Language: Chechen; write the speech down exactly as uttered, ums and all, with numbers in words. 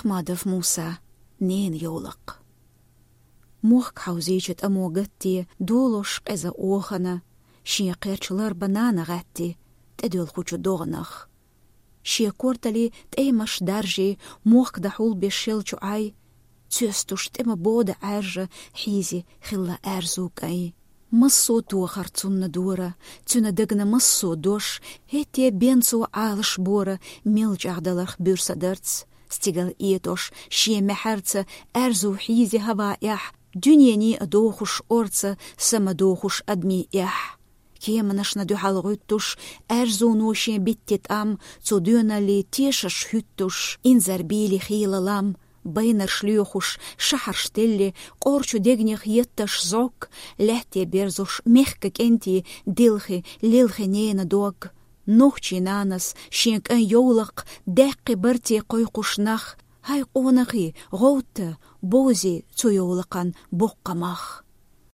Ахмадов Муса. Ненан йовлакх. Мохк хьовзийча тӀамо гатте, долош къеза охана, шен кхерч ларба нана гӀатте, тӀедоьлхучу догӀанах. Шен кортали тӀемаш даржий, мохк дӀахьулбеш шелчу Ӏай, цоьстуш тӀе ма бода Ӏаьржа, хьийзи хилла аьрзу кӀай. Массо а тохар цунна дора, цуьнан дагна массо а дош, хӀетте бен цо Ӏалаш бора, мел чӀагӀдаларх буьрса дарц, стигал этӀош шен маьхьарца, аьрзу хьийзи хӀаваэхь, дуьнений а дохуш орца, са ма дохуш адамий эхь. Кеманашна дуьхьал гӀуьттуш, аьрзуно шен битти тӀам, цу доьналлий тешаш хӀуьттуш, инзар бийли хийла лам, байнарш лоьхуш, шахьарш телли, къорчу дегнех етташ зӀок, лаьтте берзош мехка кӀентий, дилхи, лилхи ненан дог. Нохчийн нанас шен кӀайн йовлакх даьккхи барте кхойкхуш нах, хӀай къонахий, гӀовтта, бовзий цу йовлакхан боккха мах.